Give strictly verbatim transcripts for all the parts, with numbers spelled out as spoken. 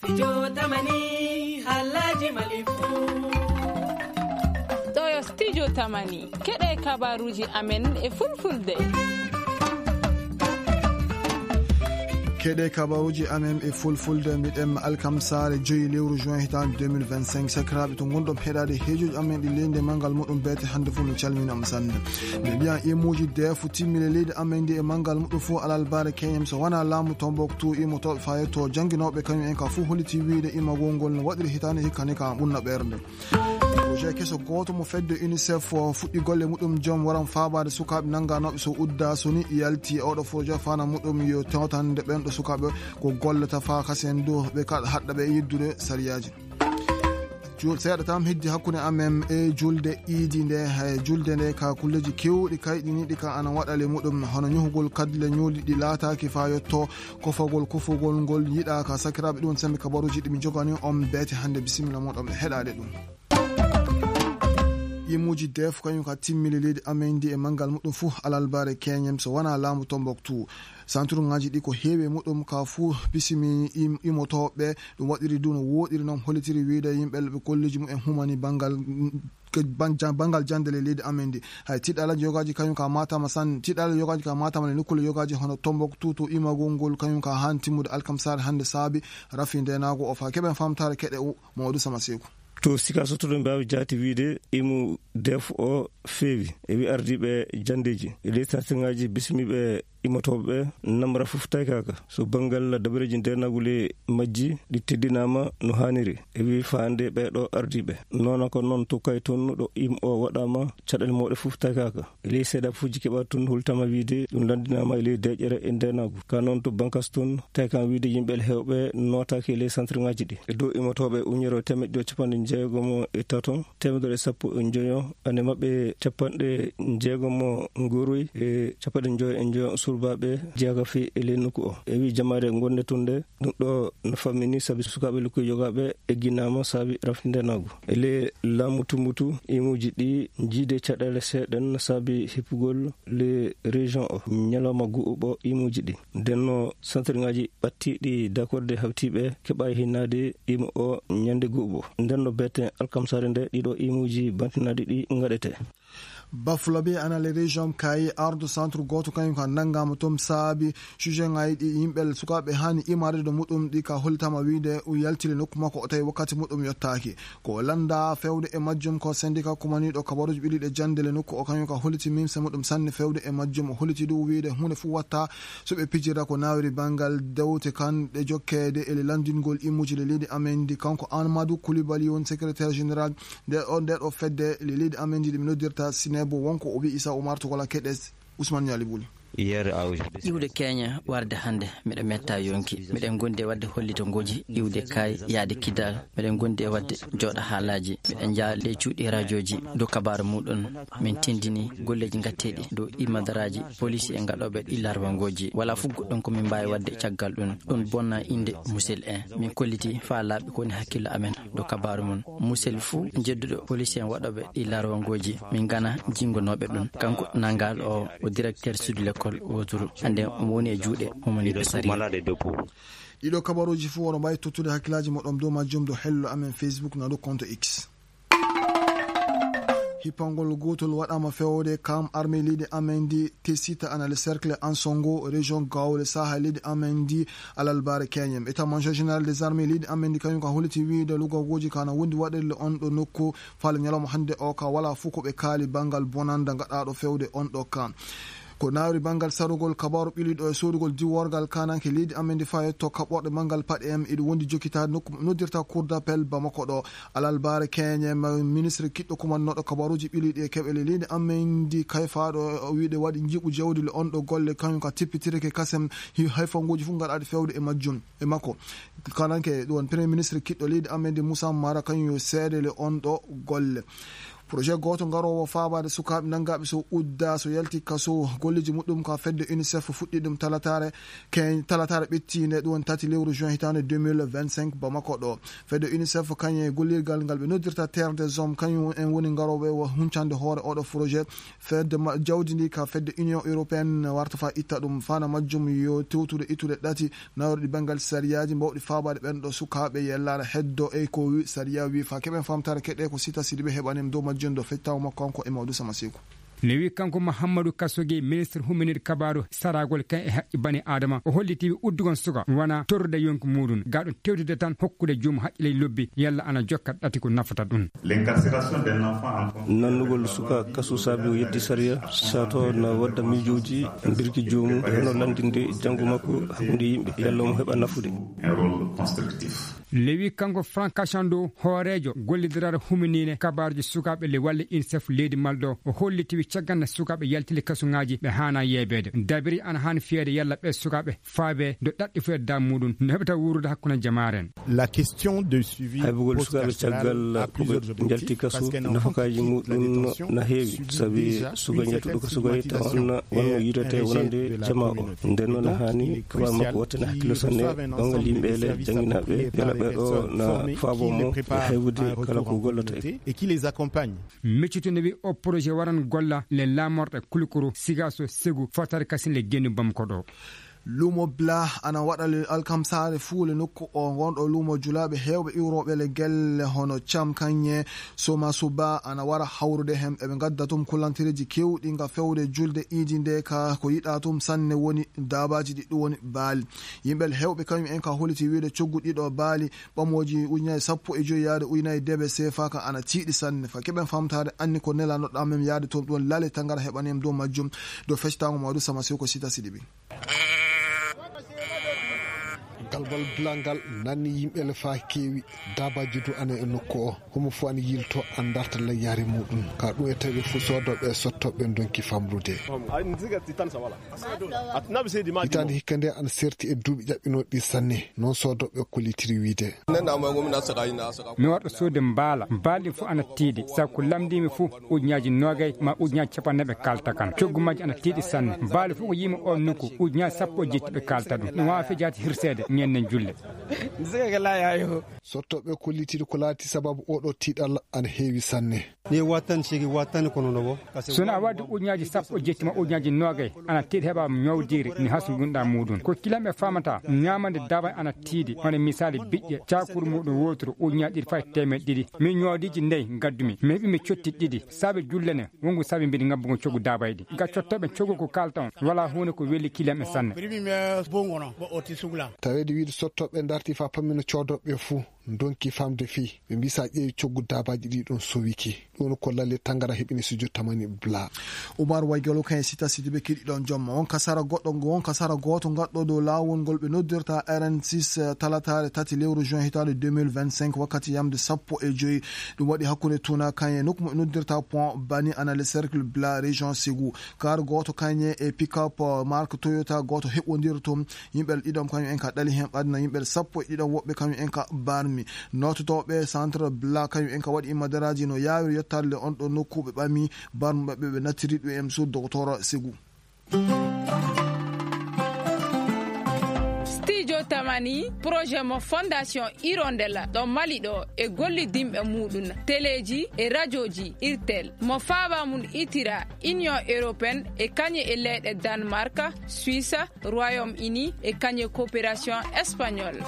Studio Tamani, halaji Mali fu. Ɗo yo Studio Tamani, keɗe kabaruji amen e fulfulde. Keɗe kabaruji amen e fulfulde, mbiɗen alkamsare joyi lewru juin hitande deux mille vingt-cinq. Sakiraaɓe, to ngonɗon heɗaade heejoji amen ɗi leydi e manngal muɗum beete hannde fof, min calminama sanne. Min mbiyan imuji defu timmile leydi amen ndi e manngal muɗum fof alalbare keñem so wona laamu Tombouctou, imotooɓe fayetto jannginooɓe kañum en ka fof holliti wiyde imagol ngol no waɗiri hitande hikka ni ka ɓunna ɓernde. Projet keso gooto mo fedde UNICEF o fuɗɗi golle muɗum joom waran faabaade sukaaɓe nannganooɓe so udda so ni yalti. Oɗo projet fana muɗum yo tewtande ɓen ɗo sukaaɓe ko gollata faa kasen dow ɓe kaɗa haɗɗa ɓe yeddude sariyaaji. Jul-, seeɗa tan heddi hakkunde amen e julde iidi nde. Hay julde nde ka kulleji kewɗi kayɗiniiɗi ka ana waɗale muɗum, hono ñuhugol kadle ñuuli ɗi laataaki faa yotto, kofagol kofogol ngol yiɗaaka. Sakiraaɓe, ɗum sembe kabaruji ɗi mi jogani on beete hannde. Bisimilla moɗon ɓe heɗaade ɗum. Imuji def kañum ka timmili leydi amen ndi e manngal muɗum fof alalbare keñem so wona laamu Tombouctou. Santuruŋaaji ɗi ko heewi e muɗum ka fuu bisimi im-, imotooɓe. Ɗum waɗiri du no wooɗiri noon, hollitiri wiyde yimɓe ɓe kolleeji mumen humani banngal, mm, ke ban-, jan-, banngal jannde e leydi amen ndi. Hay tiɗɗaala yogaaji kañum ka Matam san-, tiɗɗaala yogaaji ka Matam e nokkuule yogaaji hono Tombouctou to imagol ngol kañum ka haan timmude alkamsare hannde saabi rafi ndenaagu o faa keɓen famtaare keɗe u Mamadou Sama Seeku. To Sikaso to ɗum mbaawi jaati wiyde imu def o feewi. E wi ardiiɓe janndeeji e ley sartiŋaaji bismiiɓe imotooɓe ɓe, namra fof taykaaka. So banngal dabareeji ndeenaagu le majji ɗi teddinaama no haaniri. E wi faande ɓee ɗo ardiiɓe. Noona ko noon to kay toon ɗo im o waɗaama caɗeele mawɗe fof taykaaka. E ley seeɗa fuuji keɓa toon hultama wiyde ɗum lanndinaama e ley deeƴere e ndeenaagu. Ka noon to bankas toon taykan wiyde yimɓe heewɓe nootaaki e ley santirŋaaji ɗi. E dow imotooɓe uñere teemeɗɗe ɗiɗi capanɗe jeegomo e tato, teemedere e sappo e njoyo, ane maɓɓe capanɗe jeegomo ngoroy e capanɗe njoyo e njoyo surbaaɓe jeyaka fii e ley nokku o. E wi jamaare gonde tun nde, ɗum ɗo no fammini sabi sukaaɓe lukkuy yogaaɓe egginaama sabi rafindeenaagu. E ley laamu Tumbutu, imuuji ɗi jiide caɗeele seeɗen sabi hippugol ley région o. Ñalawma gu'uɓo imuuji ɗi. Ndenno santirŋaaji ɓattiiɗi dakorde hawtiiɓe keɓaay hinnaade imu o ñande gu'uɓo. Ndenno beete alkamsare nde ɗiɗo imuuji bantinaaɗi ɗi ngaɗete. Bafulabe ana le région kayi ardo centre gooto kañum ka nanngaama toon saabi sujet ŋaayi ɗi yimɓe sukaaɓe haani imaade ɗo muɗum ɗi ka hollitaama wiyde o yaltile nokku makko o tawi wakkati muɗum yottaaki. Ko lannda fewde e majjum ko syndicat kumaniiɗo kabaruuji ɓiliiɗe jannde le nokku o kañum ka holliti mimse muɗum sanne fewde e majjum. O holliti du wiyde huunde fof watta so ɓe pijira ko nawri banngal dewte kan ɗe jokkeede e le lanndingol immuji le leydi amen ndi. Kanko Amadou Coulibaly woni secrétaire général nde ɗo, nde ɗo fedde le leydi amen ndi, ɗi mi noddirta Sinebo, wonko o wi'i Issa Oumar Togola Keɗes, Ousmane Niali Bouly. Hier à aujourd'hui. Iwde keña warde hannde, miɗo metta yonki. Miɗen gondi e waɗde hollito ngoji, iwde kaay, yaade kidal. Miɗen gondi e waɗde jooɗa haalaaji. Miɗen njaa ley cuuɗi rajooji, dow kabaaru muɗum. Min tindini golleeji ngatteeɗi dow imadaraaji, polisi e ngaɗooɓe ɗi larwangooji. Wala fof goɗɗum ko min mbaawi waɗde caggal ɗum. Ɗum bonna innde Musel en. Min kolliti faa laaɓi ko woni hakkillo amen dow kabaaru mum. Musel fuu jedduɗo police en waɗooɓe ɗi larwangooji, min ngana jinngonooɓe ɗum. Kanko Nangal o, o directeur sud l'école woturu. Hannde omo woni e juuɗe humaniiɓe sariya. Ɗiɗo kabaruuji fuu oɗo mbaawi tottude hakkillaaji moɗon dow majjum dow hello amen Facebook na dow compte X. Hippangol gootol waɗaama fewde kam armée leydi amen ndi Tessita ana le cercle Ansongo, région Gao, le Sahel leydi amen ndi, alalbare keñem. État-major général des armées leydi amen ndi kañum ka holliti wiyde lugagooji ka na wondi waɗirle on ɗo nokku faale ñalawma hannde o ka wala fof ko ɓe kaali banngal bonanda gaɗaaɗo fewde on ɗo ka. Ko nawri banngal sarugol kabaaru ɓiliiɗo e soodugol diworgal kananke leydi amen ndi faa yetto kaɓɓorɗe manngal paɗe em, iɗo wondi jokkitaade nokku noddirta Cour d'appel Bamako ɗo. Alalbare keñe ma ministre kiɗɗo kumannooɗo kabaaruuji ɓiliiɗi e keɓele leydi amen ndi kayfaaɗo o wiide waɗi njiɓu jawdi le on ɗo golle kañum ka tippitirke kasem hi-, hayfanguuji fof ngaɗaaɗi fewde e majjum e makko. Kananke ɗum woni premier ministre kiɗɗo leydi amen ndi Moussa Mara kañum yo seede le on ɗo golle. Projet gooto garoowo faabaade sukaaɓe nanngaaɓe so udda so yalti kaso. Golleeji muɗɗum ka fedde unicef fuɗɗi ɗum talataare. Ken talataare ɓettiinde ɗum woni tati lewru juin hitaande deux mille vingt-cinq bamako ɗo. Fedde unicef kañum e gollirgal ngal ɓe noddirta terre des hommes kañum en woni garooɓe o huncande hoore oɗo projet. Fedde jawdi ndi ka fedde union européenne warta fa itta ɗum fana majjum yo tewtude ittude ɗati nawruɗi banngal sariyaaji mbawɗi faabaade ɓen ɗo sukaaɓe yellaare heddo e ko sariya wi fa keɓen famtare keɗe ko sita sidiɓe heɓanim dow majjum do fettawo makko kanko e mawdu sama siku. Ne wi kanko Muhammadu Kasoge, ministre huminir kabaru saragol kan e haqqi bani adama. O holliti wi uddugon suka wana torrude yonki muɗum gaɗo tewtude tan hokkude juum haqqiley lobbi yalla ana jokka ɗati ko nafata ɗum. Nannugol suka kasu saabi o yetti sariya sato na wadda miijooji birki joomum e hono lanndinde janngo makko hakkunde yimɓe yalla omo heɓa nafude. Lewi kanko Frank Kachando, hooreejo gollidiral huminine kabaaruji sukaaɓe le walle unicef leydi malɗo, o holliti wi caggal nde sukaaɓe yaltili kasuŋaaji ɓe haana yeebeede dabiri ana haani fiyeede yalla ɓe sukaaɓe faabe do ɗaɗɗi fu e dam muɗum no heɓata wuurude hakkunde jamaare en. La question de suivi haybugol sukaaɓe caggal ko ɓe njalti kasu nafakaaji muɗum na heewi sabi suka njaltuɗo kasu gay taw anna wonno yidate wonande jama o. Nden noon haani kaba makko wattana hakkilo sanne ɓangal yimɓe le jannginaaɓe yala ɓe ɗo na faabo mo e haybude kala ko gollata e. Miccito ne wi o projet waran golla le lamorɗe kulkuru sigaso segu fotare kasin le gennu bamko ɗo. Lumo bla ana waɗa le alkamsaare fuu le nokku o ngonɗo lumo julaaɓe heewɓe iwrooɓe le gelle hono cam kañe soma suba ana wara hawrude heen eɓe ngadda tum kullantireeji keewɗi nga fewde julde iidi nde ka ko yiɗaa tum sanne woni daabaaji ɗi ɗum woni baali. Yimɓe le heewɓe kañum en ka holiti wiide coggu ɗiɗo baali ɓamooji ujunaaji sappo e joyi yaade ujunaaji debe seefa ka ana tiiɗi sanne fa keɓen famtaade anni ko nelano ɗamem yaade toon ɗum lale tangara heɓanem dow majjum. Dow fectaango mawdu sama sew ko sita siɗi ɓi. Galbal bilangal nanni yimɓe le fa keewi dabaji du ana e nokku o homo fo ana yilto an darta layyare muɗum ka ɗum e tawi fu sodoɓe sottoɓe donki famrude. Hitande hikka nde ana serti e duuɓi ƴaɓɓinoɗi sanne non sodoɓe kollitiri wiide. Mi warɗo soode mbaala mbaali fu ana tiiɗi sabu ko lamdimi fu ujunaji nogay ma ujunaji capanɗe ɓe kalta kan coggu majji ana tiiɗi sanne mbaali fu ko yimi on nokku ujunaji sappo e jetti ɓe kalta ɗum ɗum wawa fejati hirseede ñennen julle. Sottoɓe kollitiri ko laati sababu oɗo tiiɗal ana heewi sanne. Ni wattan sigi wattan kono no bo. Sona a waddi ujunaji sappo e jetti ma ujunaji nogay ana tiiɗi heɓa ñowdiri ni hasu gunɗa muɗum ko kilam ɓe famata ñamande daban ana tiiɗi hono misali biƴƴe cakuru muɗum wotoro ujunaji ɗiɗi fay temeɗe ɗiɗi min ñoodiji ndey gaddumi mi heɓi mi cotti ɗiɗi saabe jullene wongu saabe mbiɗi ngabbugo coggu dabayɗi ga cottoɓe coggu ko kalta on wala hunde ko weli kilam e sanne. Tawede wiide sottoɓe darti fa pammino codoɓe fuu donki famde fii ɓe mbisa ƴeewi coggu dabaji ɗi ɗon sowiki. Ɗum ko lalle tangara heɓini sujo tamani bla. Umar waygalo kan e sita sidi ɓe kiɗi ɗon jomma won kasara goɗɗo won kasara gooto gaɗɗo dow laawol ngol ɓe noddirta rn six talatare tati lewru juin hitande deux mille vingt-cinq wakkati yamde sappo e joyi. Ɗum waɗi hakkunde tuna kan e nokku mo noddirta pont bani ana le cercle bla région sigu kar gooto kañe e pick-up marque toyota gooto heɓondir toon. Yimɓe ɗiɗon kañum en ka ɗali heen ɓadna yimɓe sappo e ɗiɗon woɓɓe kañum en ka barmi. Noototooɓe centre bla kañum en ka waɗi immadaraaji no yaawiri yettaade le on ɗo nokku ɓe ɓami barmi maɓɓe ɓe nattiri ɗum em sur docteur sigu. Studio tamani projet mo fondation hirondella ɗo mali ɗo e gollidimɓe muɗum teleji e radioji irtel mo faaba mum itira union européenne e kañe e leyɗe danemark, suisse, royaume uni e kañe coopération espagnole.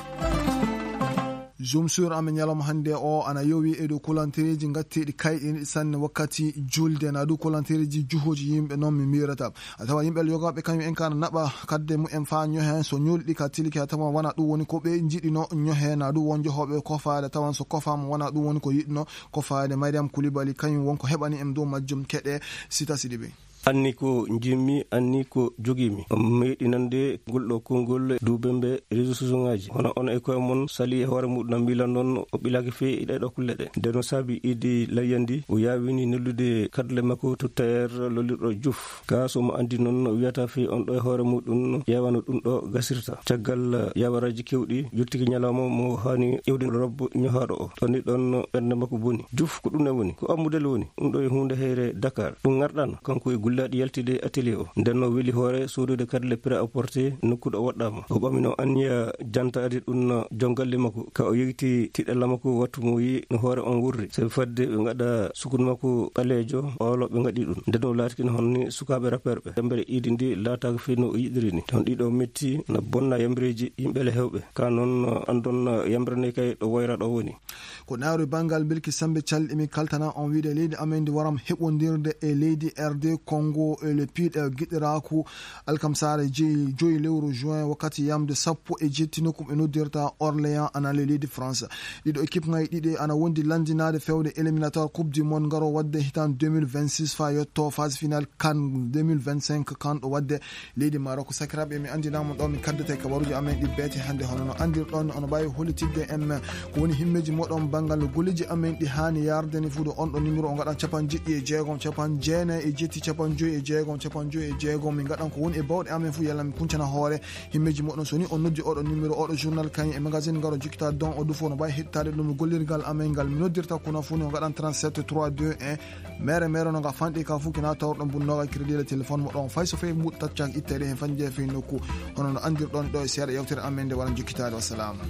Jom sur amen ñalawma hannde o ana yowi e dow kulantereji gatteɗi kayɗiniɗi sanne wakkati julde na dow kulantereji juhoji yimɓe noon mi mirata. A tawa yimɓe yogaɓe kañum en kana naɓa kadde mumen fa ñohe so ñolɗi ka tilki a tawa wona ɗum woni ko ɓe jiɗino ñohe na ɗum won johoɓe kofaade tawan so kofama wona ɗum woni ko yiɗno. Kofaade mariam kulibali kañum won ko heɓani en dow majjum keɗe sita siɗi ɓe. Anni ko njimmi, anni ko jogiimi. On meeɗi nande ngol ɗo konngol duubembe réseaux sociaux ŋaaji. Hono on e koye mon sali e hoore muɗum, miila noon o ɓilaaki fee e ɗee ɗo kulle ɗe. Nden no saabi idi layyandi, o yaawini neldude kadle makko to tailleur lollirɗo Juuf. Ka so mo anndi noon, o wiyata fii on ɗo e hoore muɗum, ƴeewano ɗum ɗo gasirta. Caggal yawaraaji keewɗi, yottiki ñalawma mo haani ƴeewde robbo ñohaaɗo o. Ɗon ni ɗon ɓernde makko boni. Juuf, ko ɗum ne woni? Ko ammudel woni? Ɗum ɗo e huunde heyre Dakar. Ɗum ŋarɗaano. Kanko e gullaaɗi yaltide atelier o. Nden no weli hoore soodude kadle prêt-à-porter nokku ɗo waɗɗaama. O ɓamino anniya jantaade ɗum joom galle makko. Ka o yewti tiɗalla makko wattu mo yi no hoore on wurri. Sabi fadde ɓe ngaɗa sukun makko ɓaleejo, olo ɓe ngaɗi ɗum. Nden o laatiki no honni sukaaɓe rapperɓe. Yambre idi ndi laataaka fii no o yiɗiri ni. Ton ɗiɗo metti na bonna yambreeji yimɓe le hewɓe. Ka noon anndon yambre ne kay ɗo woyra ɗo woni. Ko nawri banngal bilki sambe calɗi mi kaltana on wiide leydi amen ndi waram heɓondirde e leydi R D Congo e le piɗe giɗiraaku alkamsaare jeyi joyi lewru juin wakkati yamde sappo e jetti nokku ɓe noddirta Orléans ana le leydi France. Ɗiɗo équipe ŋaji ɗiɗi ana wondi lanndinaade fewde éliminatoire Coupe du Monde ngaro waɗde hitaan deux mille vingt-six fa yetto phase finale CAN deux mille vingt-cinq CAN ɗo waɗde leydi Maroc. Sakiraaɓe, mi anndinaa mon ɗo min kaddata e kabaruuji amen ɗi beete hannde. Hono no anndirɗon, ono mbaawi hollitidde en ko woni himmeeji moɗon banngal no golleeji amen ɗi haani yarde ni fuudo on ɗo numéro o ngaɗan capanɗe jeɗɗi e jeegom, capanɗe jeenayi e jetti, capanɗe joyi e jeegom, capanɗe joyi e jeegom. Min ngaɗan ko woni e bawɗe amen fuu, yalla min kuncana hoore himmeeji moɗon. So ni on noddi oɗo numéro, oɗo journal kañum e magazine ngaro jokkita don o dufo no mbaawi heɗitaade ɗum gollirgal amen ngal. Mi noddirta kono fuu no ngaɗan trente-sept trois deux un. Mere mere no nga fanɗi ka fuu kina tawrɗon bun noga crédit le téléphone mo ɗon fay so fay mbuɗ tacca itteede hen fan jeefe nokku. Hono no andirɗon ɗo e seeɗa yewtere amen nde waran jokkitaade. Wassalama.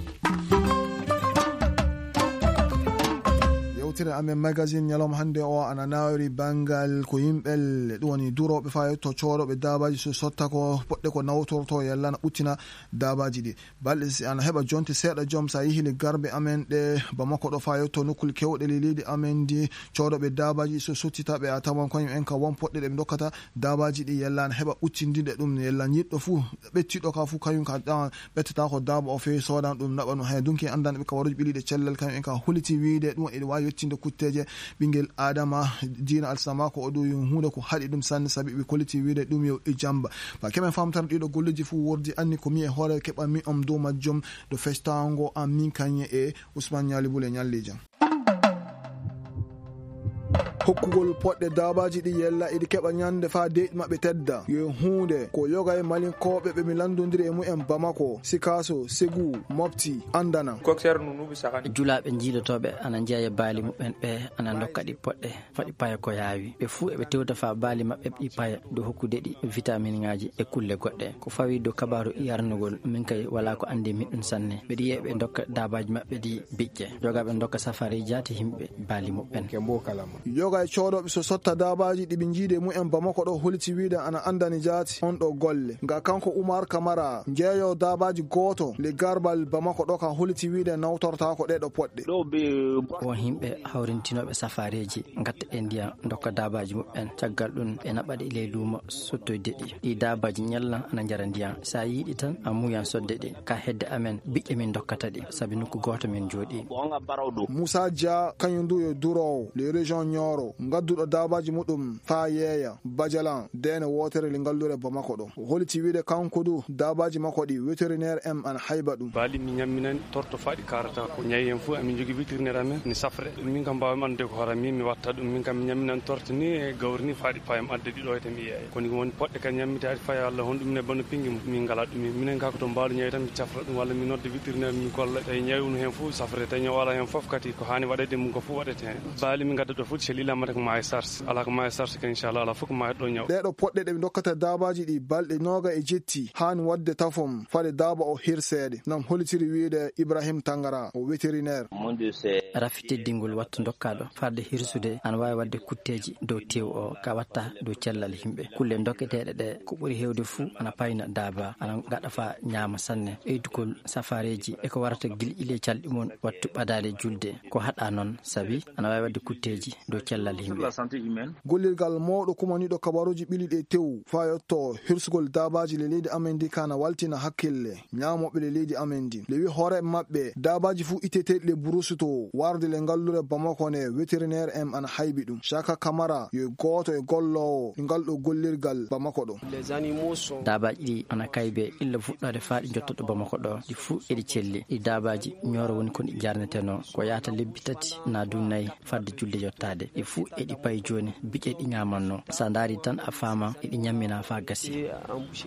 Yewtere amen magazine ñalawma hannde o ana nawri banngal ko yimɓe le ɗum woni durooɓe faa yetto coodoɓe daabaaji so sotta ko poɗɗe ko nawtorto yalla na ɓuttina daabaaji ɗi. Balɗe si ana heɓa jonte seeɗa joom so a yehi le garbe amen ɗe Bamako ɗo faa yetto nokkule kewɗe le leydi amen ndi coodoɓe daabaaji so sottita ɓe a tawan koyum en ka won poɗɗe ɗe ɓe dokkata daabaaji ɗi yalla ana heɓa ɓuttindinde ɗum yalla yiɗɗo fuu ɓettiɗo ka fuu kañum ka ɓettata ko daaba o feewi soodan ɗum naɓa ɗum hay dunki anndan ɓe ka waruji ɓiliɗe cellal kañum en ka holiti wiide ɗum eɗi waawi yettinde kutteeje ɓinngel Aadama diina alsama ko o ɗum huunde ko haɗi ɗum sanne sabi ɓe kolliti wiide ɗum yo e jamba. Ba keɓen famtara ɗiɗo golleji fuu wordi anni ko mi e hoore keɓa mi on dow majjum ɗo festango an min kañe e Ousmane Ñaali Bule Ñalli Jam. Hokkugol poɗɗe daabaaji ɗi yella iɗi keɓa ñande faa deyɗi maɓɓe tedda. Yo huunde ko yoga e malinkooɓe ɓe mi lanndondiri e mumen Bamako, Sikaso, Segu, Mopti, Andana. Julaaɓe jiidotooɓe ana njeeya baali muɓɓen ɓe ana ndokka ɗi poɗɗe faɗi paya ko yaawi. Ɓe fuu eɓe tewta faa baali maɓɓe ɗi paya dow hokkude ɗi vitaminŋaaji e kulle goɗɗe. Ko fawi dow kabaaru yarnugol, min kay walaa ko anndi min ɗum sanne. Mbeɗi yi'a ɓe ndokka daabaaji maɓɓe ɗi biƴƴe. Jogaaɓe ndokka safaari jaati yimɓe baali muɓɓen. Yoga e coodooɓe so sotta daabaaji ɗi ɓe njiidi e mumen Bamako ɗo holiti wiide ana anndani jaati on ɗo golle. Nga kanko Umar Kamara, njeeyo daabaaji gooto le garbal Bamako ɗo ka holiti wiide nawtortaako ɗee ɗo poɗɗe. Ɗo ɓe Won yimɓe hawrintinooɓe safaareeji, ngatta e ndiyam, ndokka daabaaji muɓɓen. Caggal ɗum, ɓe naɓa ɗi ley luumo sottoyde ɗi. Ɗi daabaaji ñalla ana njara ndiyam. So a yiɗi tan, a muuyan sodde ɗi. Ka hedde amen, biƴƴe min ndokkata ɗi, sabi nokku gooto min njooɗii. Musa Dia, kañum du yo duroowo, le région Nioro, ngadduɗo daabaaji muɗum faa yeeya, Bajalan, deene wootere le ngallure Bamako ɗo. O holiti wiide kanko du, daabaaji makko ɗi, vétérinaire en ana hayba ɗum. Baali mi ñamminani torto faa ɗi kaarata ko. Ñayi en fuu, amin njogii vétérinaire amen, ni safre. Min kam mbaawmi anndude ko hoore am, min mi watta ɗum. Min kam mi ñamminani torto ni e gawri ni faa ɗi payam adda ɗi ɗo e tan mi yeeya. Kono ko woni poɗɗe kan ñammitaaɗi faa Allah honɗum ne bano pingi mum. Min ngalaa ɗum. Minen kaa ko to mbaalu ñayi tan mi cafra ɗum walla mi nodda vétérinaire mi golla. Tawi ñayi unu heen fof safre, tawi ñaw alaa heen fof kadi ko haani waɗeede mum ko fof waɗete heen. Baali mi ngadda ɗo fof, so lilaama tan ko maayo sars. Alaa ko maayo sars kan, inchallah, alaa fof ko maayo ɗo ñaw. Ɗee ɗo poɗɗe ɗe mi ndokkata daabaaji ɗi balɗe nooga e jetti, haani waɗde tafom, fade daaba o hirseede. Nam holitiri wiide Ibrahim Tangara, o vétérinaire. Rafi teddingol wattu ndokkaaɗo, farde hirsude, ana waawi waɗde kutteeji dow teew o, ka watta dow cellal yimɓe. Kulle ndokketeeɗe ɗe, ko ɓuri heewde fuu, ana payna daaba, ana ngaɗa faa ñaama sanne. Ɓeydugol safaareeji e ko warata gilƴi ley calɗi mum, wattu ɓadaade julde. Ko haɗa noon, sabi ana waawi waɗde kutteeji dow cellal Lal himɓe. Gollirgal mawɗo kumaniiɗo kabaruuji ɓili ɗe tew faa yotto hirsugol daabaaji le leydi amen ndi kana waltina hakkille ñaamooɓe le leydi amen ndi. Le wi hooreeɓe maɓɓe daabaaji fuu iteteeɗi le burusuto warde le ngallure Bamako ne, vétérinaire en ana haybi ɗum. Shaka Kamara yo gooto e golloowo e ngal ɗo gollirgal Bamako ɗo. Daabaaji ɗi ana kaybe illa fuɗɗoode faa ɗi njotto ɗo Bamako ɗo. Ɗi fuu eɗi celli. Ɗi daabaaji ñooro woni kon ɗi jarnetenoo. Ko yaata lebbi tati naa du nay fadde julde yottaade. Ɗi fuu eɗi payi jooni biƴe ɗi ñaamannoo. So a ndaari tan a faama eɗi ñammina faa gasi.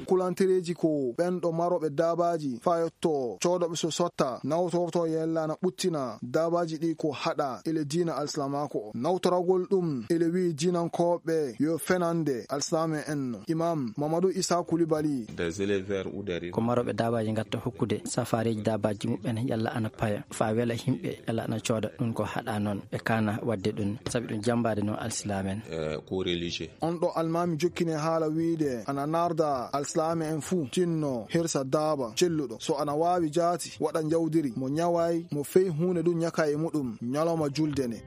Kulantereeji ko ɓen ɗo marooɓe daabaaji faa yotto coodooɓe so sotta nawtorto yella na ɓuttina daabaaji ɗi ko haɗa ele diina alsilaamaaku o. Nawtoragol ɗum ele wi'i diinankooɓe yo fenande alsilaame en no. Imam Mamadou Issa Koulibaly. Des éleveurs ou des Ko marooɓe daabaaji ngatta hokkude safaareeji daabaaji muɓɓen yalla ana paya faa wela himɓe yalla ana cooda ɗum ko haɗa noon. Ɓe kaana waɗde ɗum sabi ɗum jambaade no alsilaame en. Euh, ko religieux. On ɗo almaami jokkine haala wiide ana narda alsilaame en fuu tinno hirsa daaba celluɗo. So ana waawi jaati waɗa njawdiri mo ñawaay mo fey huunde ɗum ñaka e muɗum ñalawma julde nde.